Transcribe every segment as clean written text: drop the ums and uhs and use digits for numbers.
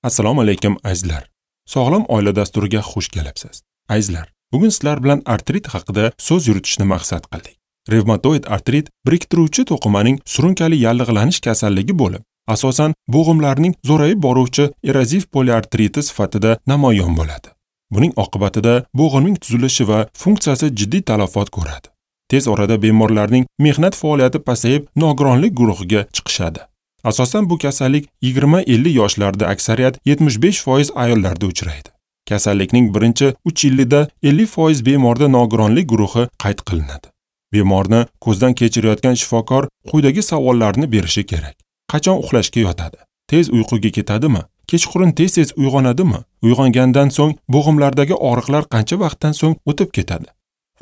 Assalomu alaykum azizlar. Sog'lom oila dasturiga xush kelibsiz. Azizlar, bugun sizlar bilan artrit haqida so'z yuritishni maqsad qildik. Revmatoid artrit biriktiruvchi to'qimaning surunkali yallig'lanish kasalligi bo'lib, asosan bo'g'imlarning zo'rayib boruvchi eroziv poliartriti sifatida namoyon bo'ladi. Buning oqibatida bo'g'imning tuzilishi va funksiyasi jiddiy talafot ko'radi. Tez orada bemorlarning mehnat faoliyati pasayib, nogironlik guruhiga chiqishadi. Asosan bu kasallik 20-50 yoshlarda, aksariyat 75% ayollarda uchraydi. Kasallikning birinchi 3 yilida 50% bemorda nogironlik guruhi qayd qilinadi. Bemorni ko'zdan kechirayotgan shifokor quyidagi savollarni berishi kerak. Qachon uxlashga yotadi? Tez uyquga ketadimi? Kechqurun tez-tez uyg'onadimi? Uyg'ongandan so'ng bo'g'imlardagi og'riqlar qancha vaqtdan so'ng o'tib ketadi?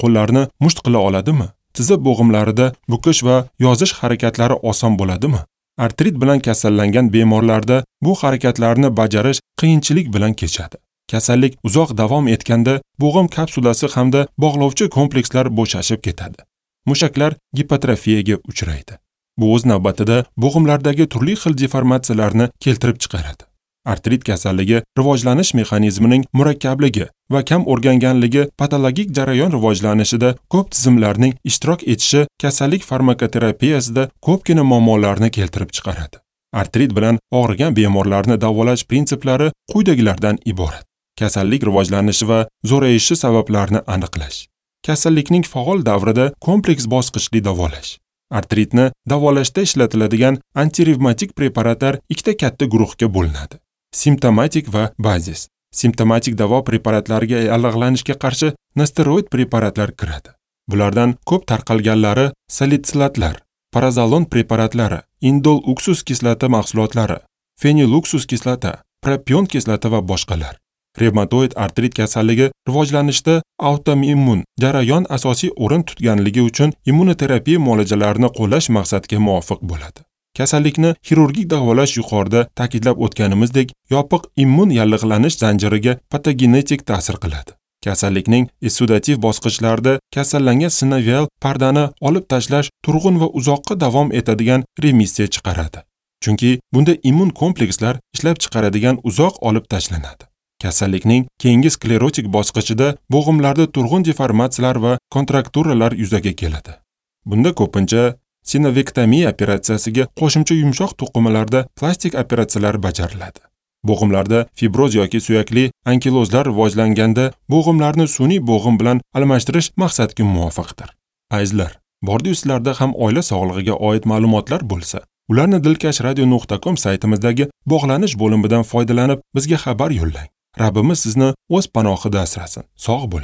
Qo'llarni musht qila oladimi? Tizza bo'g'imlarida bukish va yozish harakatlari oson bo'ladimi? Artrit bilan kasallangan bemorlarda bu harakatlarni bajarish qiyinchilik bilan kechadi. Kasallik uzoq davom etganda bo'g'im kapsulasi hamda bog'lovchi komplekslar bo'shashib ketadi. Mushaklar gipotrofiyaga uchraydi. Bu o'z navbatida bo'g'imlardagi turli xil deformatsiyalarni keltirib chiqaradi. Artrit kasalligi rivojlanish mexanizmining murakkabligi va kam o'rganganligi patologik jarayon rivojlanishida ko'p tizimlarning ishtirok etishi kasallik farmakoterapiyasida ko'pgina muammolarni keltirib chiqaradi. Artrit bilan og'rigan bemorlarni davolash prinsiplari quyidagilardan iborat. Kasallik rivojlanishi va zo'rayishi sabablarini aniqlash. Kasallikning faol davrida kompleks bosqichli davolash. Artritni davolashda ishlatiladigan antirevmatik preparatlar ikkita katta guruhga bo'linadi. Simptomatik va bazis. Simptomatik davo preparatlariga yallig'lanishga qarshi nosteroid preparatlar kiradi. Bulardan ko'p tarqalganlari salitsilatlar, parazolon preparatlari, indol uksus kislota mahsulotlari, feniluksus kislota, propion kislota va boshqalar. Revmatoid artrit kasalligi rivojlanishda autoimmun jarayon asosiy o'rin tutganligi uchun immunoterapiya muolajalarini qo'llash maqsadga muvofiq bo'ladi. Kasallikni xirurgik davolash yuqorida ta'kidlab o'tganimizdek, yopiq immun yallig'lanish zanjiriga patogenetik ta'sir qiladi. Kasallikning essudativ bosqichlarida kasallangan sinovial pardani olib tashlash turg'un va uzoqqa davom etadigan remissiya chiqaradi. Chunki bunda immun komplekslar ishlab chiqaradigan uzoq olib tashlanadi. Kasallikning keyingi sklerotik bosqichida bo'g'imlarda turg'un deformatsiyalar va kontrakturalar yuzaga keladi. Bunda ko'pincha sinovektomiya operatsiyasiga qo'shimcha yumshoq to'qimalarda plastik operatsiyalar bajariladi. Bo'g'imlarda fibroz yoki suyakli ankilozlar rivojlanganda bo'g'imlarni sun'iy bo'g'im bilan almashtirish maqsadga muvofiqdir. Azizlar, bordi-yu sizlarda ham oila sog'lig'iga oid ma'lumotlar bo'lsa, ularni dilkashradio.com saytimizdagi bog'lanish bo'limidan foydalanib bizga xabar yo'llang. Rabbimiz sizni o'z panohida asrasin. Sog' bo'ling.